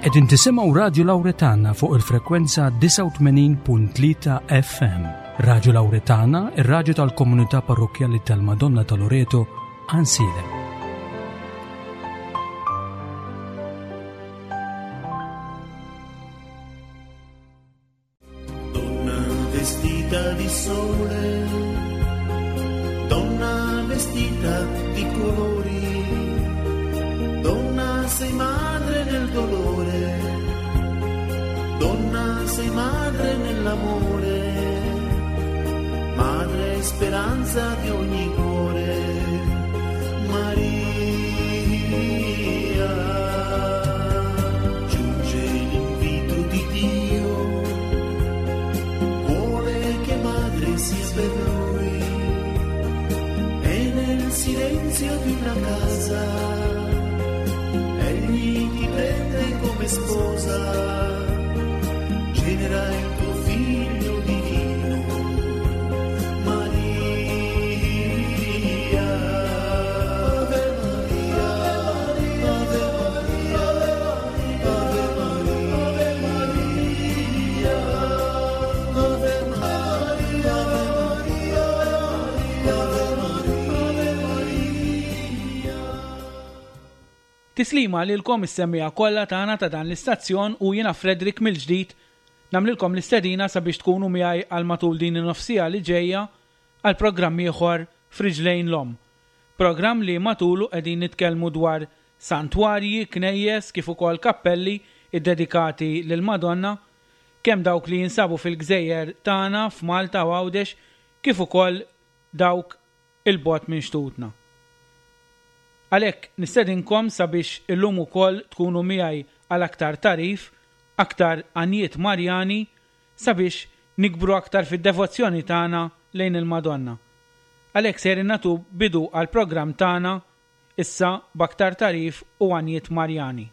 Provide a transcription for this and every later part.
Qegħdin tisimgħu Radju Lawretana fuq il-frekwenza 89.3 FM. Radju Lawretana, ir-radju tal-komunità parrokkjali tal-Madonna ta' Loreto, Għansielem. Donna vestita di sole, donna vestita di colori, donna sei madre nel dolore, donna sei madre nell'amore, madre speranza di ogni cuore, Maria. Giunge l'invito di Dio, vuole che madre sia per lui e nel silenzio di una casa egli ti prende come sposa, genera il tuo figlio divino, Maria. Ave Maria, Ave Maria, Ave Maria, Ave Maria, Ave Maria, Ave Maria. Tislima lilkom is-semmiegħa kollha tagħna ta' dan l-istazzjon u jiena Frederick mill-ġdid nagħmlilkom l-istedina sabiex tkunu miegħi għal matul din in-nofsiegħa li ġejja għal programm ieħor F'Riġlejn l-Omm. Programm li matulu qegħdin nitkellmu dwar santwarji, knejjes kif ukoll kappelli ddedikati lill-Madonna, kemm dawk li jinsabu fil-gżejjer tagħna f'Malta u Għawdex kif ukoll dawk 'il bogħod minn xtutna. Għalhekk nistedinkom sabiex illum ukoll tkunu miegħi għal aktar tagħrif, aktar għanjiet Marjani sabiex nikbru aktar fid-devozzjoni tagħna lejn il-Madonna. Għalhekk sejrin nagħtu bidu għall-programm tagħna issa b'aktar tagħrif u għanjiet Marjani.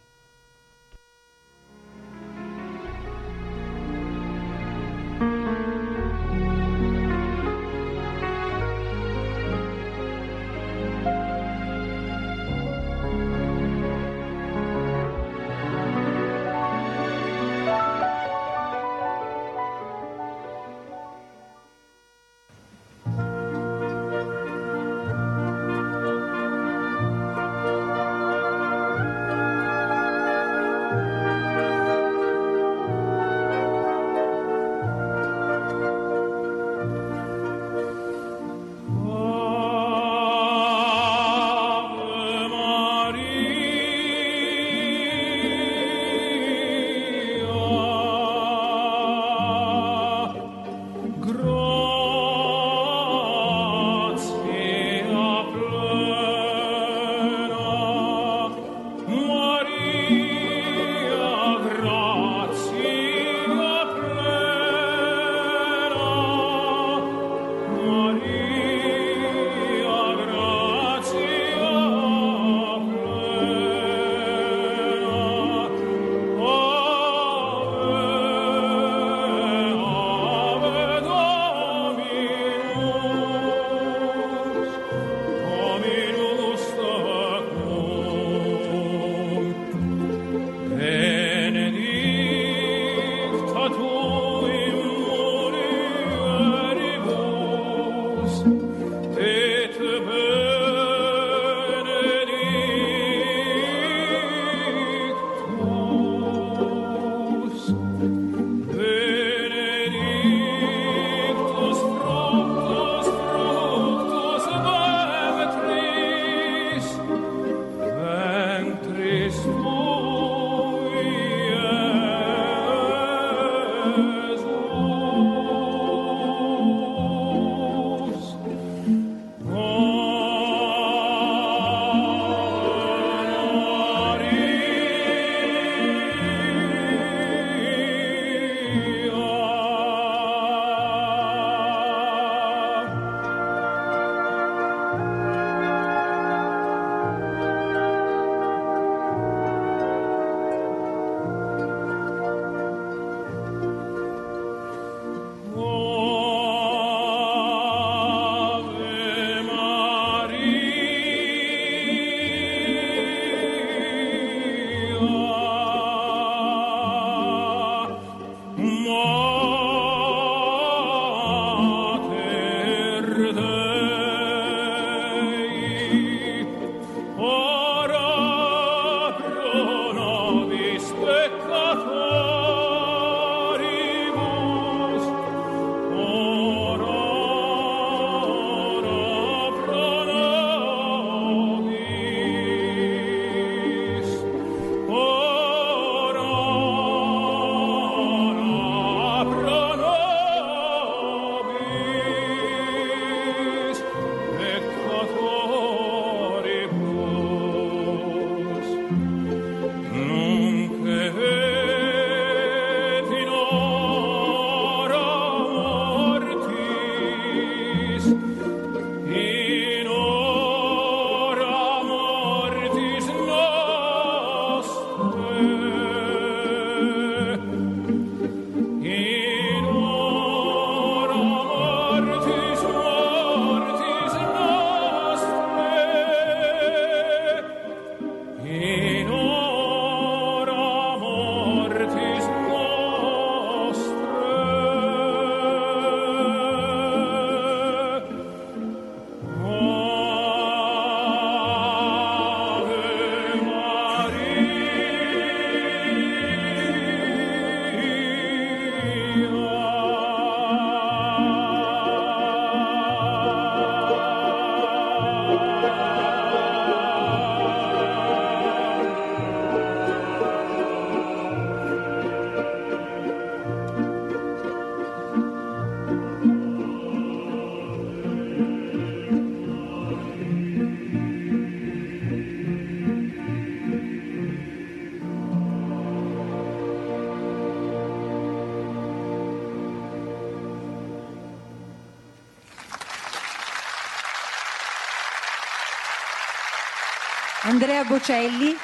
Andrea Bocelli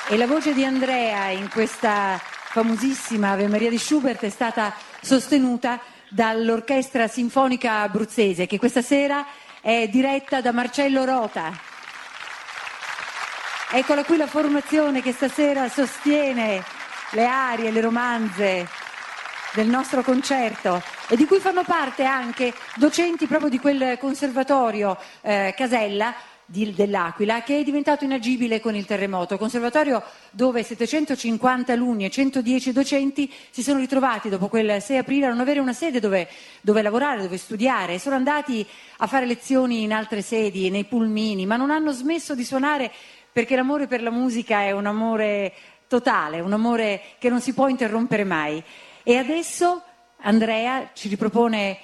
e la voce di Andrea in questa famosissima Ave Maria di Schubert è stata sostenuta dall'Orchestra Sinfonica Abruzzese che questa sera è diretta da Marcello Rota. Eccola qui la formazione che stasera sostiene le arie, le romanze del nostro concerto e di cui fanno parte anche docenti proprio di quel conservatorio eh, Casella di, dell'Aquila che è diventato inagibile con il terremoto. Conservatorio dove 750 alunni e 110 docenti si sono ritrovati dopo quel 6 aprile a non avere una sede dove, dove lavorare, dove studiare. Sono andati a fare lezioni in altre sedi, nei pulmini, ma non hanno smesso di suonare perché l'amore per la musica è un amore totale, un amore che non si può interrompere mai. E adesso Andrea ci ripropone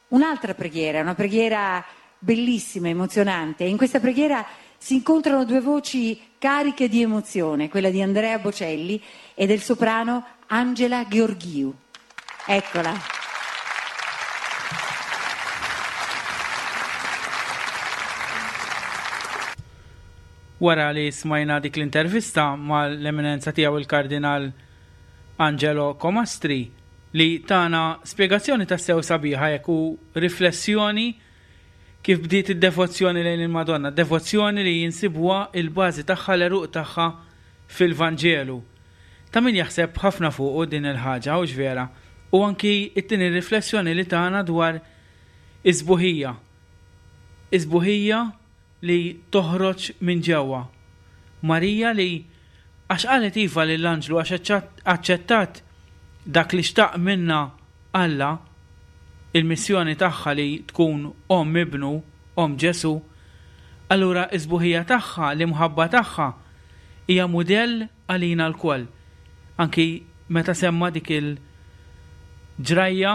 un'altra preghiera, una preghiera bellissima, emozionante. In questa preghiera si incontrano due voci cariche di emozione, quella di Andrea Bocelli e del soprano Angela Gheorghiu. Eccola. Wara li smajna dik l-intervista mal-Eminenza tiegħu il-Kardinal Angelo Comastri li tana spjegazzjoni tassew sabiħa jekk u riflessjoni Kif bdiet id-devozzjoni lejn il-Madonna, devozzjoni li insibuha il-bażi tagħha, l-għeruq tagħha fil-Vanġelu. Ta' min jaħseb ħafna fuqu din il-ħaġa, hux vera? U anki t-tieni riflessjoni li tana dwar is-sbuħija. Is-sbuħija li toħroġ minn ġewwa. Marija li għax qalet iva lill-anġlu għax aċċettat dak li xtaq minnha Alla, il-missjoni tagħha li tkun omm ibnu, omm Ġesù, allura s-sbuħija tagħha, l-imħabba tagħha hija mudell għalina lkoll. Anki meta semma dik il-ġrajja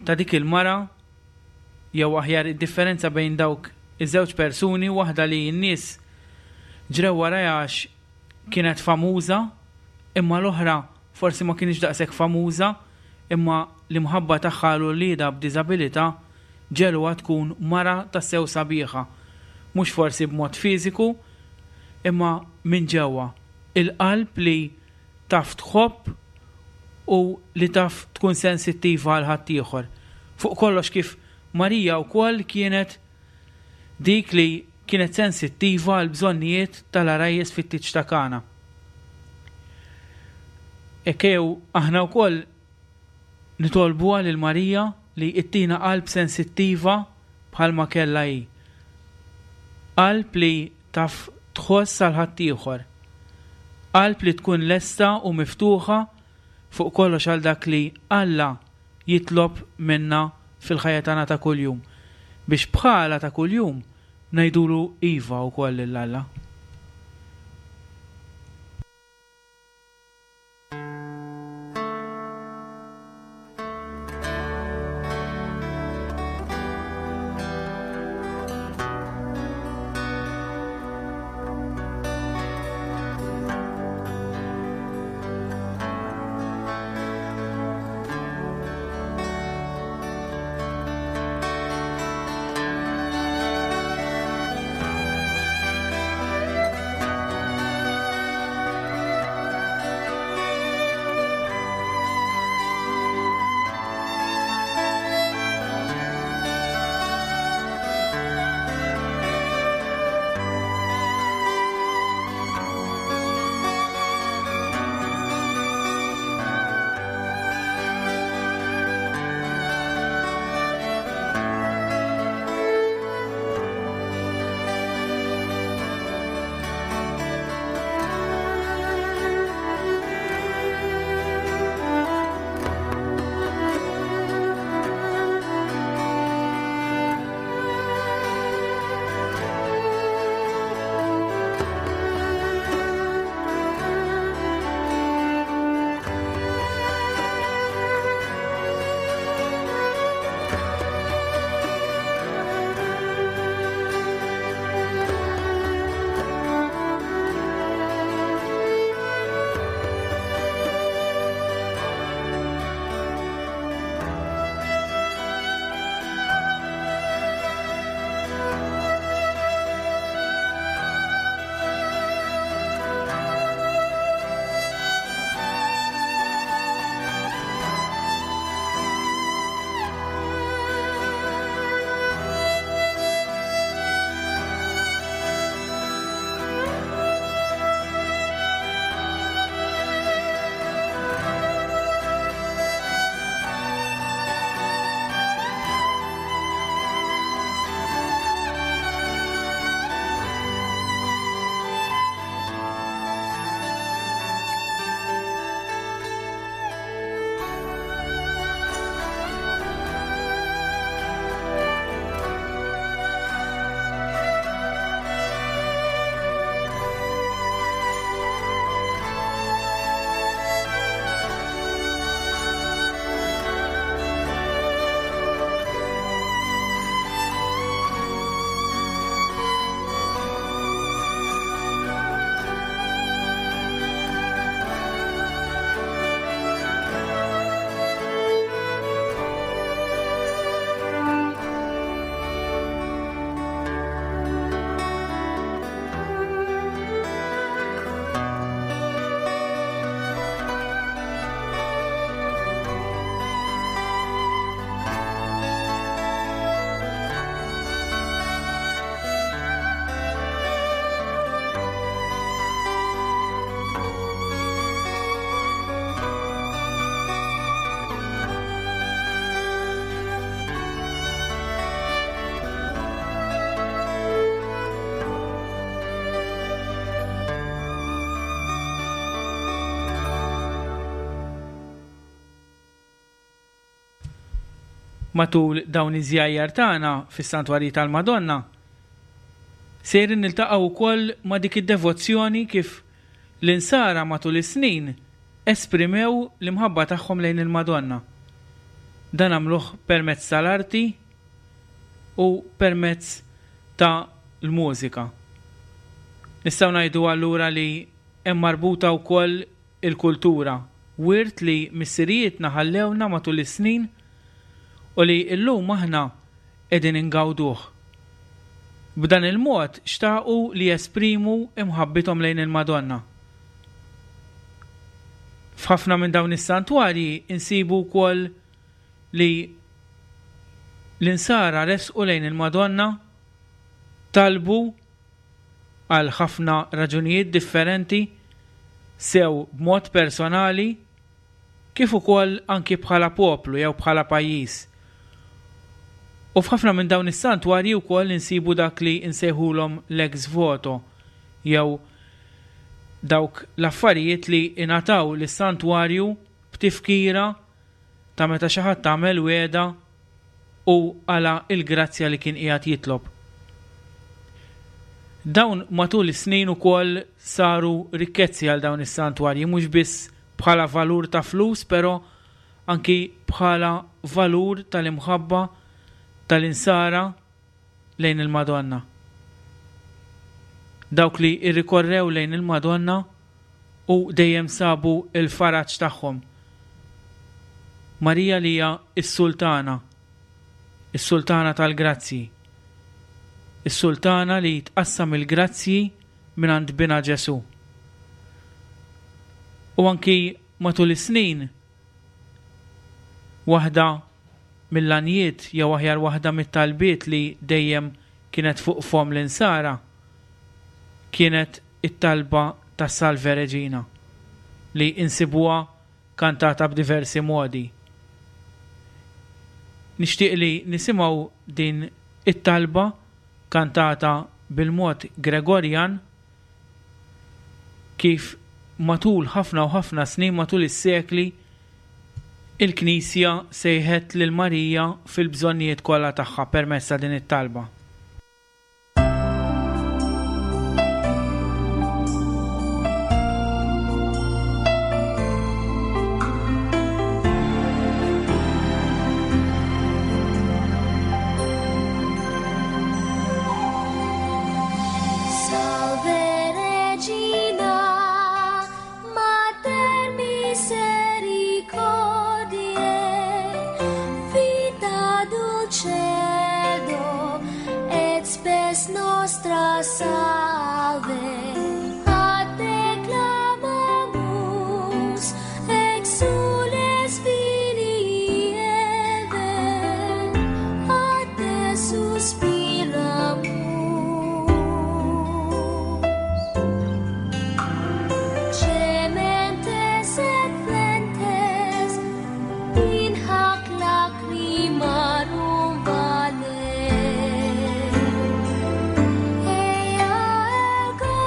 ta' dik il-mara jew aħjar id-differenza bejn dawk iż-żewġ persuni, waħda li n-nies ġrew warajha għax kienet famuża, imma l-oħra forsi ma kinitx daqshekk famuża, imma l-imħabba tagħha għal uliedha b'diżabilità ġegħluha tkun mara tassew sabiħa, mhux forsi b'mod fiżiku, imma minn ġewwa, il-qalb li taf tħobb u li taf tkun sensittiva għal ħaddieħor. Fuq kollox kif Marija wkoll kienet dik li kienet sensittiva għall-bżonnijiet tal-għarajjes fit-tieġ ta' Kana. Hekk ejjew aħna wkoll nitolbuha lil Marija li ttina qalb sensittiva bħalma kellha hi. Qalb li taf tħoss għal ħaddieħor. Qalb li tkun lesta u miftuħa fuq kollox għal dak li Alla jitlob minna fil-ħajja tagħna ta' kuljum, biex bħalha ta' kuljum ngħidulu iva wkoll lil Alla. Matul dawn iż-żjajjar tagħna fis-Santwarji tal-Madonna, sejrin niltaqgħu wkoll ma' dik id-devozzjoni kif l-Insara matul is-snin esprimew l-imħabba tagħhom lejn il-Madonna. Dan għamluh permezz tal-arti u permezz ta' l-mużika. Nistgħu ngħidu allura li hemm marbuta wkoll il-kultura, wirt li missirijietna ħallewlna matul is-snin u li llum aħna qegħdin ingawduh. B'dan il-mod xtaqu li jesprimu imħabbithom lejn il-Madonna. F'ħafna minn dawn is-santwarji nsibu wkoll li l-Insara resqu lejn il-Madonna, talbu għal ħafna raġunijiet differenti, sew b'mod personali kif ukoll anki bħala poplu jew bħala pajjiż. U f'ħafna minn dawn is-santwarji wkoll insibu dak li nsejħulhom l-ex voto jew dawk l-affarijiet li ingħataw lis-santwarju b'tifkira ta' meta xi ħadd għamel wegħda u qala' l-grazzja li kien qiegħed jitlob. Dawn matul is-snin ukoll saru rikkezzi għal dawn is-santwarji mhux biss bħala valur ta' flus però anki bħala valur tal-imħabba tal-Insara lejn il-Madonna. Dawk li rrikorrew lejn il-Madonna u dejjem sabu l-faraġ tagħhom. Marija li hija s-Sultana, is-Sultana tal-grazzji, is-Sultana li tqassam il-grazzji mingħand Binha Ġesù. U anki matul is-snin, waħda mill-għanjiet jew aħjar waħda mit-talbiet li dejjem kienet fuq fomm l-Insara kienet it-talba tas-Salve Regina li insibuha kantata b'diversi modi. Nixtieq li nisimgħu din it-talba kantata bil-mod Gregorjan kif matul ħafna u ħafna snin, matul is-sekli, il-Knisja sejħet lil Marija fil-bżonnijiet kollha tagħha permezz ta' din it-talba. Salve Regina, Mater misericordiae, vita dulcedo et spes nostra salve. A te clamamus, exules filii Eve, a te suspiramus. Gementes et flentes, in hac lacrimarum vale. Ea ergo,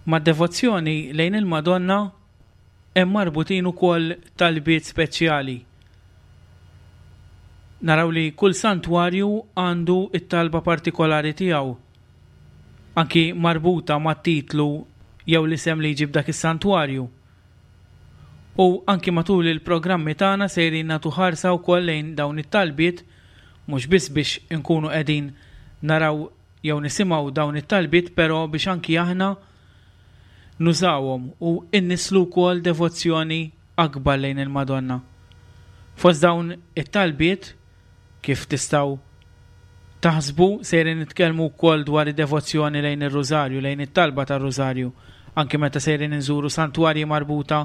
Mad-devozzjoni lejn il-Madonna hemm marbutin ukoll talbiet speċjali. Naraw li kull santwarju għandu t-talba partikolari tiegħu, anki marbuta mat-titlu jew l-isem li jġib dak is-santwarju. U anki matul il-programmi tagħna sejrin nagħtu ħarsa wkoll lejn dawn it-talbiet mhux biss biex inkunu qegħdin naraw jew nisimgħu dawn it-talbiet però biex anki aħna nużawhom u nnisslu wkoll devozzjoni akbar lejn il-Madonna. Fost dawn it-talbiet, kif tistgħu taħsbu, sejrin nitkellmu wkoll dwar id-devozzjoni lejn ir-Rużarju, lejn it-talba tar-Rużarju, anki meta sejrin inżuru santwarji marbuta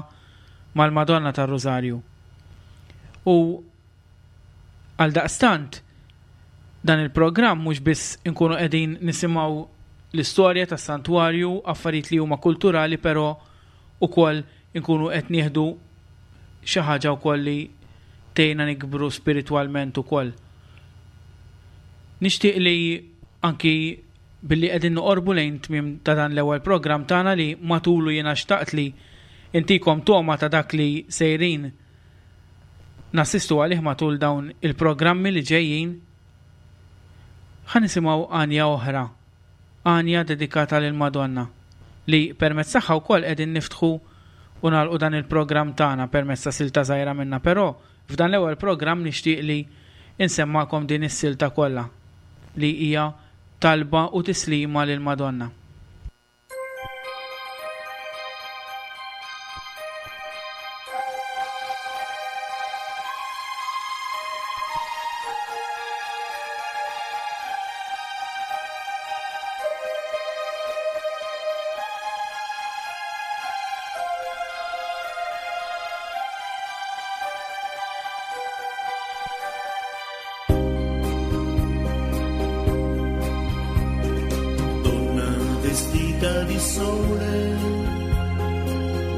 mal-Madonna tar-Rużarju. U Għaldaqstant, dan il-programm mhux biss inkunu qegħdin nisimgħu l-istorja tas-santwarju, affarijiet li huma kulturali però ukoll inkunu qed nieħdu xi ħaġa wkoll li tgħinna nikbru spiritwalment ukoll. Nixtieq li anki billi qegħdin noqorbu lejn tmiem ta' dan l-ewwel programm tagħna li matulu jiena xtaqt li intikom togħma ta' dak li sejrin nassistu għalih matul dawn il-programmi li ġejjin, ħa nisimgħu għanja oħra, għanja dedikata lill-Madonna, li permezz tagħha wkoll qegħdin niftħu u nagħlqu dan il-programm tagħna permezz ta' silta żgħira minnha, però f'dan l-ewwel programm nixtieq li insemmagħkom din is-silta kollha li hija talba u tislima lill-Madonna. Donna vestita di sole,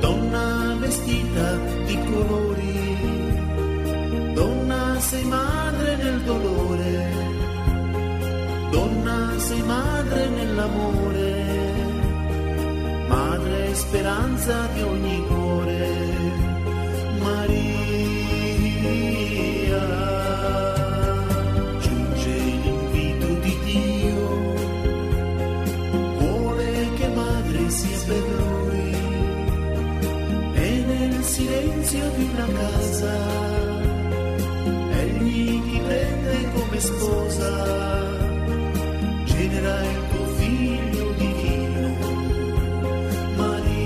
donna vestita di colori, donna sei madre nel dolore, donna sei madre nell'amore, madre speranza di ogni cuore, Maria. Giunge l'invito di Dio, vuole che madre sia per lui, e nel silenzio di una casa, egli ti prende come sposa, genera il tuo figlio divino, Maria.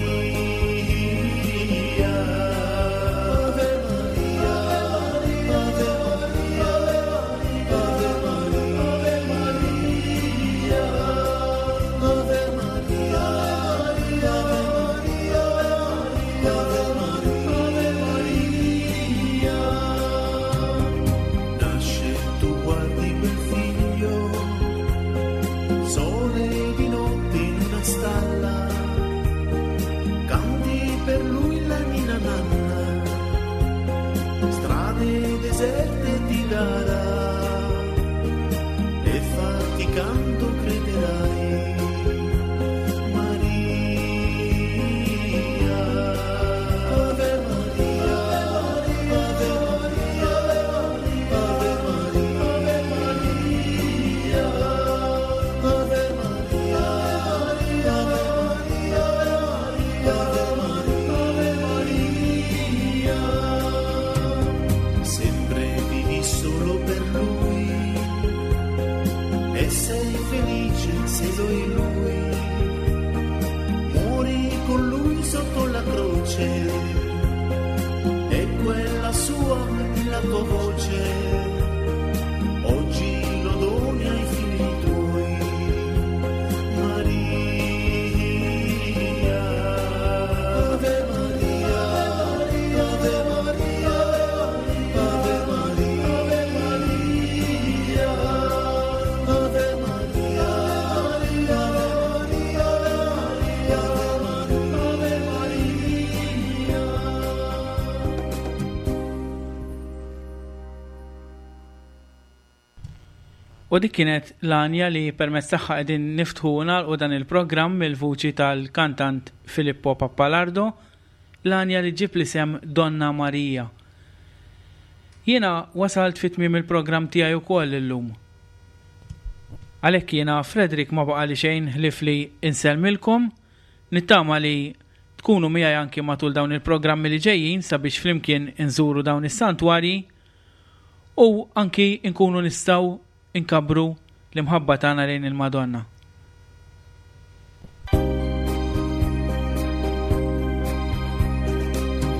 Ave Maria, Ave Maria, Ave Maria, Ave Maria, Ave Maria, Ave Maria, Maria. Nasce, tu guardi quel figlio, sole di notte in una stalla, canti per lui la ninna nanna, strade deserte ti darà, e faticando crederai. Maria, Ave Maria, Ave Maria, Ave Maria, Ave Maria, Ave Maria, Ave Maria. Sempre vivi solo per lui e sei felice se lo è lui. Muori con lui sotto la croce e quella sua è la tua voce. Oggi lo doni ai figli tuoi, Maria. Ave Maria, Ave Maria, Ave Maria, Ave Maria, Ave Maria, Ave Maria. U dik kienet l-għanja li permezz tagħha qegħdin niftħu u nagħlqu dan il-programm mill-vuċi tal-kantant Filippo Pappalardo, l-għanja li ġġib l-isem Donna Maria. Jiena wasalt fi tmiem il-programm tiegħi wkoll illum. Għalhekk jiena Frederick ma baqali xejn ħlief li insellmilkom, nittama li tkunu miegħi anki matul dawn il-programmi li ġejjin sabiex flimkien inżuru dawn is-santwarji u anki nkunu nistgħu nkabbru l-imħabba tagħna lejn il-Madonna.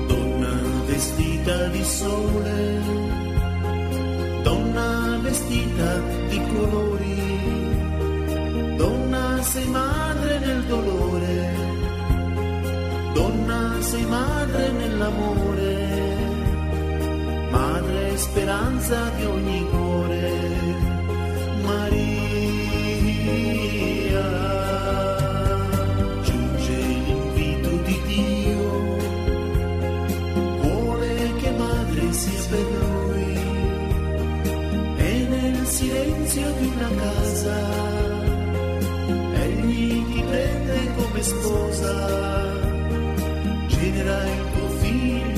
Donna vestita di sole, donna vestita di colori, donna sei madre nel dolore, donna sei madre nell'amore, madre speranza di ogni cuore, Maria. Giunge l'invito di Dio, vuole che madre sia per lui, e nel silenzio di una casa, egli ti prende come sposa, genera il tuo figlio.